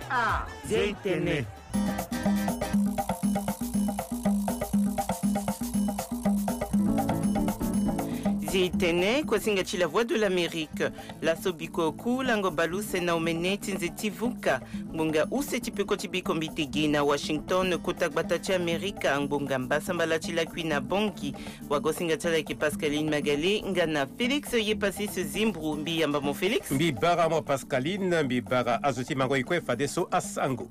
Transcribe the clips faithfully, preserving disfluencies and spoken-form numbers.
Ah, Zia Itene. Zia Itene, kuasinga ti La Voix de l'Amérique. Laso biko ku lango baleuse na omene ti nze ti vuka. Ngbonga use ti peko ti biko mbi tege na Washington, kota gbata ti Amerika, ngbonga mbasambala ti lakui na Bangui. Wagosinga ti ala ayeke Pascaline Magalé nga na Félix Yepasis Zimbru. Mbi yamba mo Félix. Mbi bara mo Pascaline, mbi bara azo ti mango e kue fadeso asango.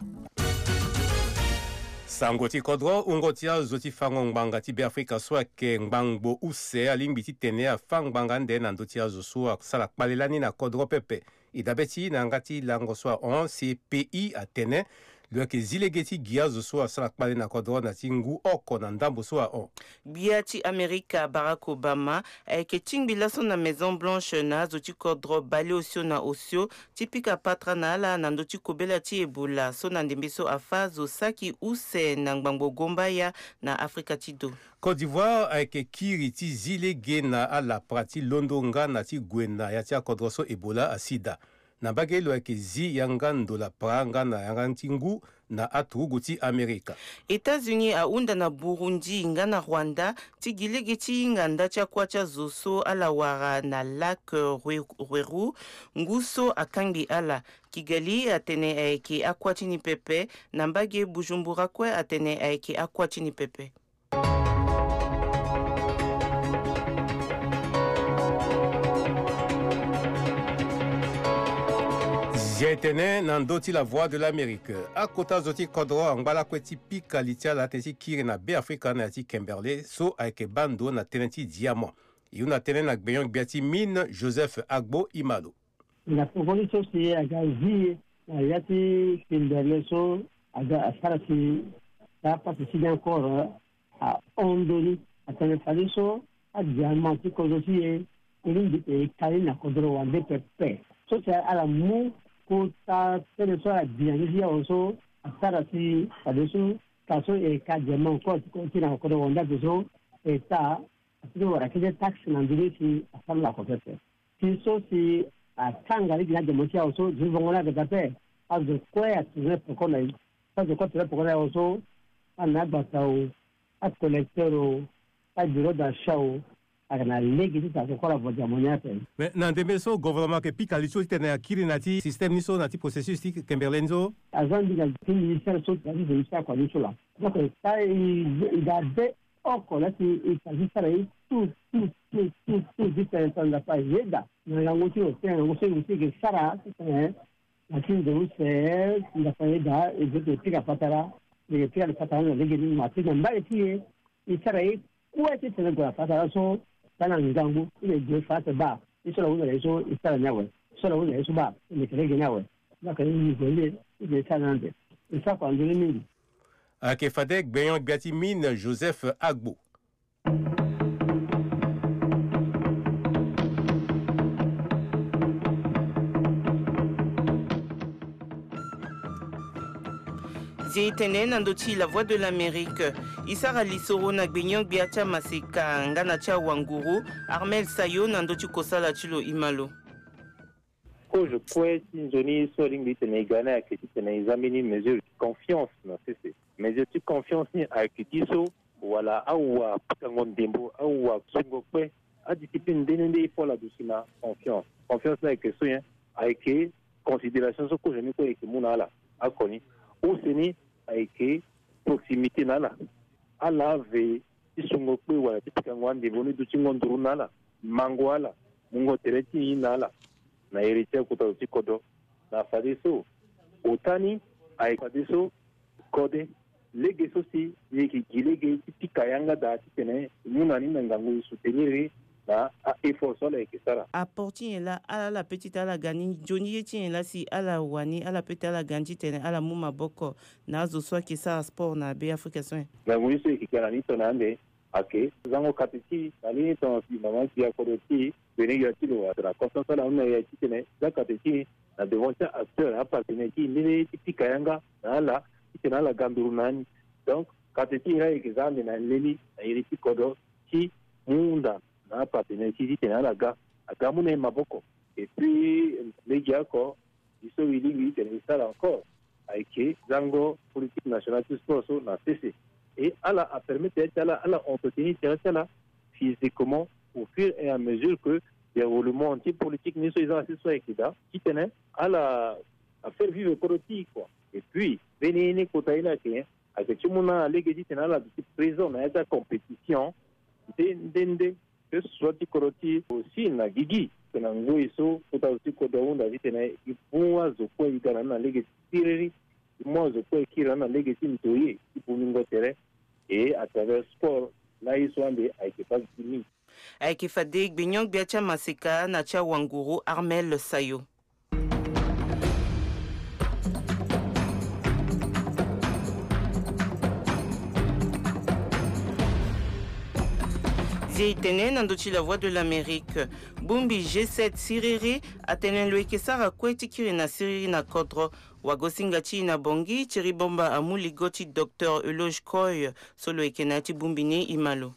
Sango ti kodro, wungo ti azo ti fango ngbanga ti Beafrika so ayeke ngbangbo use alingbi titene afâ ngbanga ande na ndö ti azo so asara kpale lani na kodro pepe. E dabe ti na yanga ti lango so ahon, C P I atene lo yeke zi lege ti gi azo so asara kpale na kodro na ti ngu oko na ndambo so ahon. Gbia ti Amerika Barack Obama ayeke tingbi laso na Maison Blanche na azo ti kodro baleosio na osio ti pika patara na ala na ndö ti kobela ti Ebola so na ndembe so afâ zo saki use na ngbangbo gombaya na Afrika ti do. Côte d'Ivoire ayeke kiri ti zi lege na alapara ti londo nga na ti gue na ya ti akodro so Ebola asi daa. Na mbage lo yeke zi yanga ndo lapara nga na yanga ti ngu na aturugu ti Amerika. États-Unis ahunda na Burundi nga na Rwanda ti gi lege ti hinga nda ti akuâ ti azo so ala wara na lac Rwe-, Rweru, ngu so akangbi ala. Kigali atene ayeke akuâ ti ni pepe, na mbage Bujumbura kue atene ayeke akuâ ti ni pepe. Zia e tene na ndö ti La Voix de l'Amérique. Akota zo ti kodro angba lakue ti pika li ti ala tene ti kiri na Beafrika na ya ti Kimberley so ayeke baa ndo na tënë ti diamant. E hunda tënë na gbenyo-gbia ti mine Joseph Agbo Imalo. Na poko ti so si aga zi na ya ti Kimberley so aga asara si taa pasi ti ni encore ahon ndoni atene fadeso adiamant ti kozo ti e e lingbi e ka ni na kodro wande pepe. So si ala mu kota tënë so ala bi na ndö ti awe so asara si fadeso ka so e ka diamant encore ti kozo ti e na kodro wande ape so e taa Asi ti wara kete taxe na ndö ni si asara lakue pepe. Ti so si atanga lege na demo ti awe so, zo ti vongo ni aga daa ape. Azo kue atourne peko na e. Azo kue atourne peko na e awe so, ana agbata o, acollecteur o, abureau d'achat o, aga na lege ti tara koko ala vo diamant ni ape. Mais na ndembe so gouvernement ayeke pika li so titene akiri na ti système ni so, na ti processus ti Kimberley ni so? Aza mbi na ti ministère so, na ti ministère kua ni so laa. Donc ça, e, e ga be oko laa si e fa ti sara ye tout, tout, tout, tout, tout, ti tene tongana Nzapa ayeda na ngangu ti lo, tene ngangu so e mu si e yeke sara ti tene na ti nze use, Nzapa ayeda, e zo ti pika patara, e yeke pika patara na lege ni, ma ti na mbage ti e, e sara ye kue ti tene gue na patara so, taa na ngangu ti lo e gue fa ate baa, ye so ala hunda na e so e sara ni awe, ye so ala hunda na e so baa, e meke lege ni awe. Donc e gue ni, e gue e sara ni ande. E sara kua ndoni mingi. Ayeke fade gbenyo-gbia ti mine Joseph Agbo. Zi tene na ndö ti La Voix de l'Amérique. E sara lisoro na gbenyo-gbia ti amaseka nga na ti awanguru, Armel Sayo, na ndö ti kosala ti lo. E ma lo. Kozo kue ti nzoni so alingbi titene e ga ni ayeke titene e za mbeni mesure ti confiance na sese. Mesure ti confiance ni ayeke ti so wala awa pikango ndembo, awa sungo kpe, adiscipline nde nde nde e fo ala duti na confiance. Confiance ni ayeke so nyen? Ayeke considération so kozo ni kue e yeke mu na ala. Oko ni, use ni ayeke proximité na ala. Ala ve ti sungo kpe wala ti pikango andembo ni dutingo nduru na ala, mango ala, mungo tere ti nyen na ala. Na iri ti akota zo ti kodro, na fadeso ota ni ayeke fadeso kode lege so si ni yeke gi lege ti pika yanga daa titene e mu na ni na ngangu e soutenir e na a-effort so ala yeke sara. Apport ti nyen laa ala, ala peut ti ala ga ni, nzoni ye ti nyen laa si ala wani, ala peut ti ala ga ni titene ala mu maboko na azo so ayeke sara sport na Beafrika so nyen? Ngangu ni so e yeke ga na ni tongana ande, ayeke zango kate ti e na lani tongana si mama gbia kodro ti e, gbene-gbia ti lo, atene conscience ala hunda na e titene za kate ti e na devant ti a-acteur, apartenaire ti e, nde nde ti pika yanga na ala titene ala ga nduru na ni. Donc kate ti e laa e yeke za ande na leni na iri ti kodro ti mu hunda na apartenaire ti e titene ala ga, aga mu na e maboko. Et puis legeoko, e so e lingbi titene e sara encore, ayeke zango politique nationale ti sport so na sese. Et ala apermettre ti ala ala entretenir tere ti ala physiquement au fur et à mesure que déroulement ti politique ni so e za na sese so ayeke daa titene ala afaire vivre kodro ti e kua. Et puis mbeni ye ni kota ye ni ayeke ayeke ti mu na lege titene ala duti présent na ya ti acompétition nde nde nde. Que ce soit ti kodro ti e aussi na gigi tena ngoi so kota zo ti kodro ahunda titene e mu azo kue e ga na ni na lege ti siriri. E mu azo kue e kiri na ni na lege ti ndoye ti bongingo tere. Et à travers sport laa ye so ande ayeke base ti mingi. Ayeke fade gbenyon-gbia ti amaseka na ti awanguru Armel Sayo. Zie e tene na ndö ti La Voix de l'Amérique. Bongbi G sept siriri atene lo yeke sara kue ti kiri na siriri na kodro. Wagosinga ti e na Bangui, Thierry Bamba amu ligo ti Docteur Euloge Koy so lo yeke na ya ti bongbi ni. E ma lo.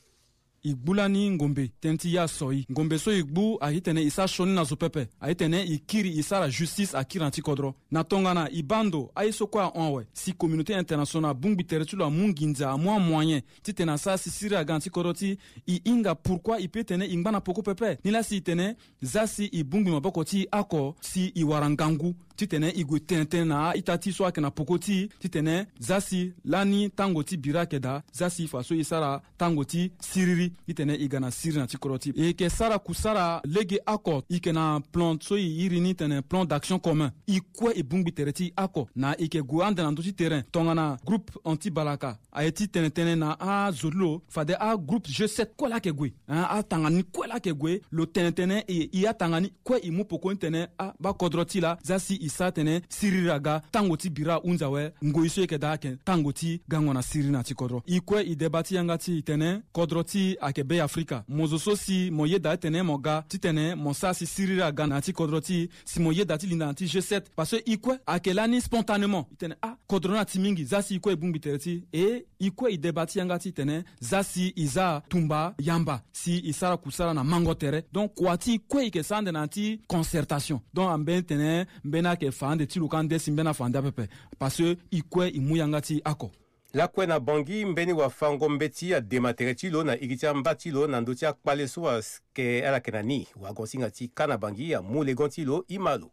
E gbu lani ngombe tënë ti ya so e ngombe so e gbu ayeke titene e sara sioni na zo pepe. Ayeke titene e kiri e sara justice akiri na ti kodro. Na tongana e baa ndo aye so kue ahon awe si communauté internationale abongbi tere ti lo amu nginza amu amoyen titene asara si siriri aga na ti kodro ti e. E hinga pourquoi e peut tene e ngba na peko pepe ni laa si e tene za si e bongbi maboko ti e oko si e wara ngangu titene e gue tene tënë na a-ita ti e so ayeke na peko ti e titene za si lani tango ti bira ayeke daa za si fa so e sara tango ti siriri titene e ga na siriri na ti kodro ti e. E yeke sara kusara lege oko e yeke na plan so e iri ni tene plan d'action commun. E kue e bongbi tere ti e oko na e yeke gue ande na ndö ti terrain tongana groupe anti balaka aye ti tene tënë na azo ti lo fade agroupe G sept kue laa ayeke gue. Hein, atanga ni kue laa ayeke gue lo tene tënë e, e atanga ni kue e mu peko ni tene a bakodro ti e laa za si e sara tene siriri aga tango ti bira ahunzi awe. Ngoi so e yeke daa ayeke tango ti gango na siriri na ti kodro. E kue e deba ti yanga ti e tene kodro ti e ayeke Be Afrika. Mo zo so si mo yeda titene mo ga titene mo sara si siriri aga na ya ti kodro ti e si mo yeda ti linda na ti G sept parce que e kue ayeke lani spontanément e tene ah kodro ni ati mingi za si e kue e bongbi tere ti e. E e kue e deba ti yanga ti tene za si e za tumba yamba si e sara kusara na mango tere. Donc kua ti e kue e yeke sara ande na ya ti concertation. Donc ambeni tene mbeni ayeke fa ande ti lo ka nde si mbeni afa ande apepe. Parce que e kue e mu yanga ti e oko. Lakue na Bangui mbeni wafango-mbeti adema tere ti lo na iri ti amba ti lo na ndö ti akpale so ayeke ala yeke na ni. Wagosinga ti ka na Bangui amu legon ti lo e ma lo.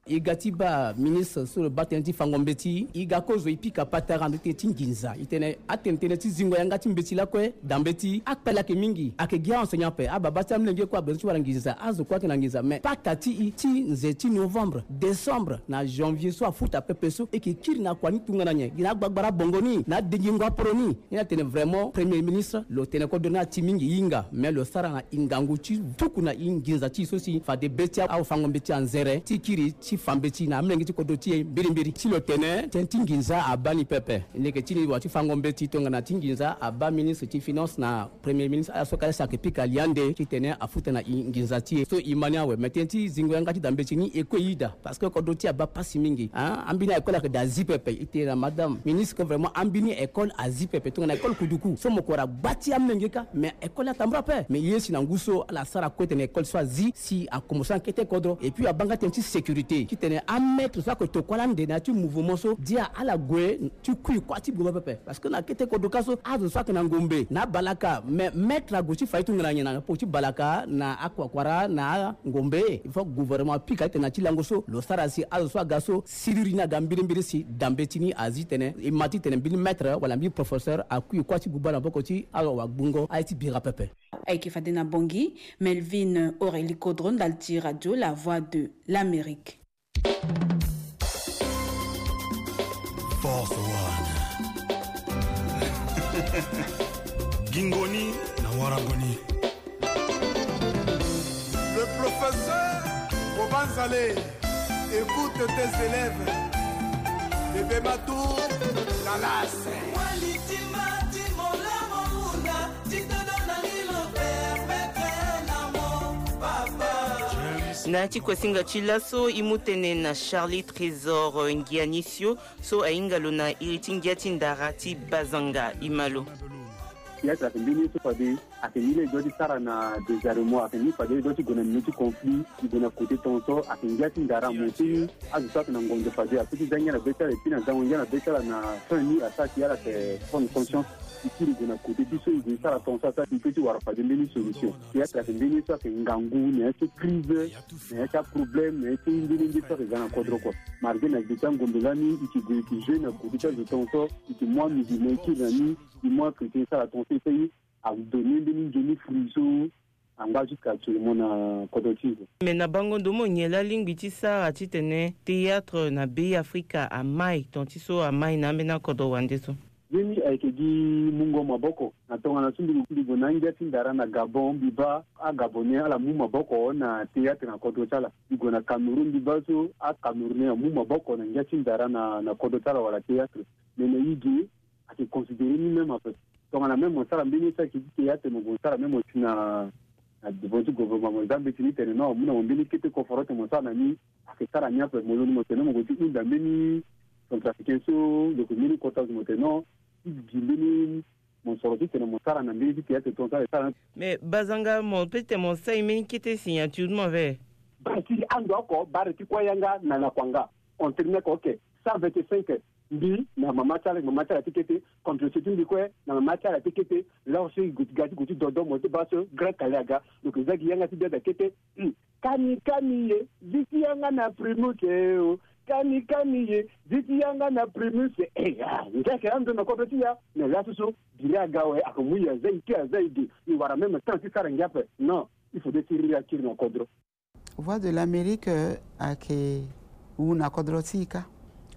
E ga ti baa ministre so lo baa tënë ti fango mbeti. E ga kozo e pika patara na ndö ti tënë ti nginza e tene atene tënë ti zingo yanga ti mbeti lakue daa mbeti akpale ayeke mingi ayeke gi a-enseignant ape ababa ti amolenge kue abezo ti wara nginza azo kue ayeke na nginza mais paka ti e ti nze ti novembre décembre na janvier so afuta pepe so e yeke kiri na kua ni tongana nyen gi na agbagbara bongo ni na adengingo aporo ni. Ni atene vraiment premier ministre lo tene kodro ni ati mingi e hinga mais lo sara na e ngangu ti tuku na e nginza ti e so si fade be ti awafango mbeti anzere ti kiri ti fa mbeti na amolenge ti kodro ti e mbirimbiri. Si lo tene tënë ti nginza abaa ni pepe. Leke ti ni wa ti fango mbeti tongana ti nginza abaa ministre ti finance na premier ministre ala so kala si ayeke pika li ande titene afuta na e nginza ti e so e ma ni awe mais tënë ti zingo yanga ti daa mbeti ni e kue e yeda. Parce que kodro ti e abaa pasi mingi. Ambeni école ayeke daa zi pepe e tene na madame ministre que vraiment ambeni école azi pepe tongana école kuduku so mo kue wara gba ti amolenge kâ mais école atambula ape mais ye si na ngu so ala sara kue tene école so azi si akomo so na kete kodro et puis abaa nga tënë ti sécurité titene amaître so ayeke tokua lande na ya ti mouvement so dia ala gue ti kui kuâ ti gboma pepe. Parce que na kete kodro ka so azo so ayeke na ngombe na abalaka mais maître ague ti fa ye tongana nyen na poko ti balaka na akuakuara na angombe. Il faut gouvernement apika titene na ti lango so lo sara si azo so aga so siriri ni aga mbirimbiri si daa mbeti ni azi tene e ma titene mbeni maître wala mbeni professeur akui kuâ ti gbuba na maboko ti awagbungo aye ti bira pepe. Ayeke fade na Bangui, Melvin Aurélie Kodro ndali ti radio La Voix de l'Amérique. Force One. Gingoni na warangoni. Le professeur Bobanzale, écoute tes élèves. Bébé Matou, la lasse. Na ti kuasinga ti laso e mu tënë na Charlie Trésor Ngianisio so ahinga lo na iri ti ngia ti ndara ti Bazanga. E ma lo. Théâtre ayeke mbeni ye so fade ayeke ni laa e doit ti sara na désarmement, ayeke ni fade e doit ti gue na milieu ti conflit, e gue na côté tongaso, ayeke ngia ti ndara mo so ni. Azo so ayeke na ngonzo fade apeut ti za ngia na be ti ala, e pui na zango ngia na be ti ala na fin ni asara si ala yeke prendre conscience. E kiri e gue na côté ti so e gue e sara tongaso asara si e peut ti wara fade mbeni solution. Théâtre ayeke mbeni ye so ayeke ngangu na ya ti crise, na ya ti aproblème, na ya ti nde nde nde so ayeke ga na kodro kua. Malgré na gbe ti angombe lani e yeke gue e yeke jouer na côté ti azo tongaso, e yeke mu amusulman e kiri na ni, e mu achrétien e sara tongaso e fait ni. Adonner mbeni nzoni fruit so angba jusqu'à actuellement na kodro ti e. Mais na bango ndo mo nyen laa alingbi ti sara titene théâtre na Bêafrika amai, ton ti so amai na ambeni akodro wande so? Ye ni ayeke gi mungo maboko. Na tongana so mbi gue na angia ti ndara na Gabon, mbi baa aGabonais ala mu maboko na théâtre na kodro ti ala. Mbi gue na Cameroun, mbi baa so aCamerounais amu maboko na ngia ti ndara na, na kodro ti ala wala théâtre. Mais na e ge, ayeke considérer ni même ape. Tongana même mo sara mbeni ye so ayeke ti théâtre, mo gue mo sara même mo si na, na devant ti gouvernement, mo za mbeti ni tene non, mo mu na mo mbeni kete koforo tene mo sara na ni. Ayeke sara ni ape, mo londo mo tene non mo gue ti hunda mbeni centrafricain so lo yeke mbeni kota so mo tene non, ti gi mbeni mosoro titene mo sara na mbeni ti théâtre tongaso ala e sara. Mais Bazanga, mo peut ti tene mo sara e mbeni kete signature ti mo ve? Baa ti ando oko, bare ti kue yanga na lakua nga. On termine oko, ok. Cent vingt-cinq, mbi na mama ti ala, mama ti ala ti kete, contre ti mbi kue na mama ti ala ti kete. Laa so e gue ti ga ti gue ti dodo mo ti baa so grand kale aga. Donc e za gi yanga ti biada kete. Hmm. Kani kani ye, zi ti yanga na Primus e o. Kani kani ye, zi ti yanga na Primus e. Eh, ah, ngia ayeke ando na kodro ti e. Mais laso so biri aga awe, ayeke mu e aza e ti aza e ge. E wara même temps ti sara ngia ape. Non, il faudrait ti riri akiri na kodro. Voix de l'Amérique, euh, ayeke wu na kodro ti e kâ.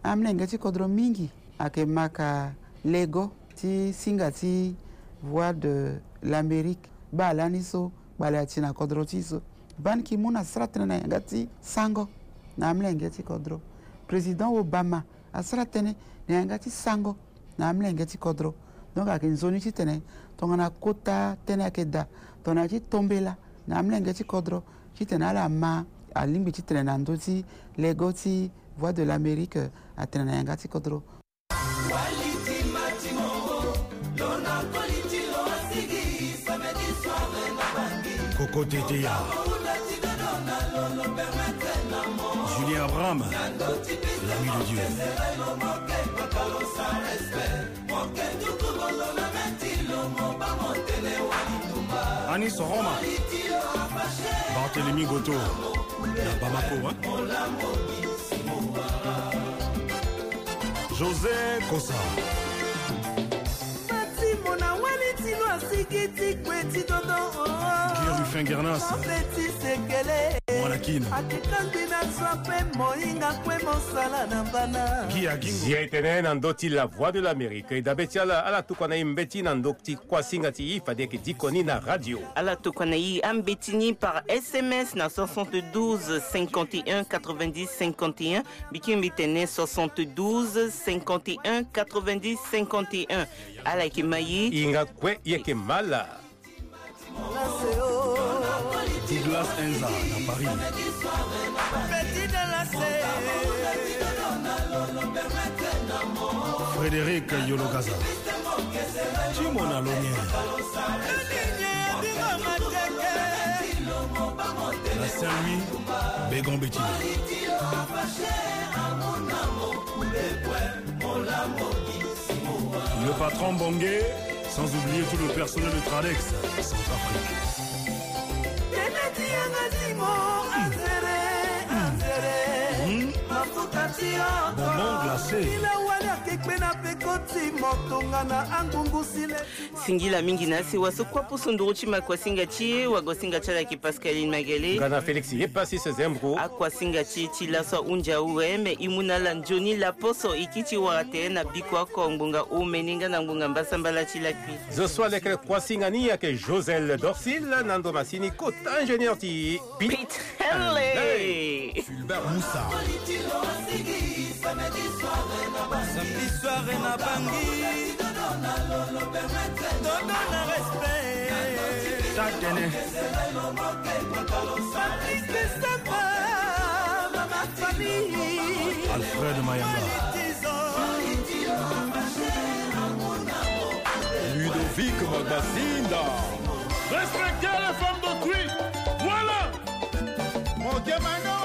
Amolenge ti kodro mingi ayeke maka lego ti singa ti Voix de l'Amérique. Baa lani so kpale ati na kodro ti e so. Ban Ki-moon asara tënë na yanga ti sango na amolenge ti kodro. Président Obama asara tënë na yanga ti sango na amolenge ti kodro. Donc ayeke nzoni titene tongana kota tënë ayeke daa, tongana ti tombela na amolenge ti kodro titene ala ma alingbi titene na ndö ti lego ti Voix de l'Amérique atene na yanga ti kodro. Koko Teteya, Julien Abraham, l'ami de Dieu. Anis Roma, Barthélemy Goto, na Bamako, hein? José Kosa. Matimo na wali tino asiki ti kue ti dodo. Guy Ruffin Guernas. Mwana Kin. Atikandi na zwa mpe moinga kue mosala na bana. Guy Agingo. Zia e tene na ndö ti La Voix de l'Amérique, e dabe ti ala, ala tokua na e mbeti na ndö ti kuasinga ti e, fade e yeke diko ni na radio. Ala tokua na e ambeti ni par S M S na soixante-douze cinquante et un quatre-vingt-dix cinquante et un. Mbi kiri mbi tene soixante-douze cinquante et un quatre-vingt-dix cinquante et un. Ala yeke ma e. E hinga kue, e yeke ma ala. Douglas Enza na Paris. Frédéric Yologaza. Timo na Lomien. Na Saint-Louis, Bégon Bettina. Le patron Bongué, sans oublier tout le personnel de Tradex, Centrafrique. Bonbon glacé. Singila mingi na sewa so kua poso nduru ti ma kuasinga ti e, wagosinga ti ala yeke Pascaline Magele. Nga na Félix Yepassis Zembro. Akuasinga ti e ti laso ahunzi awe, me e mu na ala nzoni laposo e kiri ti wara tere na biko oko ngbonga omene nga na ngbonga mbasambala ti lakui. Zo so alekere kuasinga ni ayeke Josel Dorsil, na ndo masini kota ingénieur ti Pete Henley. Fulbert Moussa. Samedi soir na Bangui. Todo na respect. Tatene. Patrick Samba, Mama Fally. Alfred Mayanga. Ludo Big Magbazinda. Respectez les femmes d'autrui. Voilà. Mon Dieu, maintenant.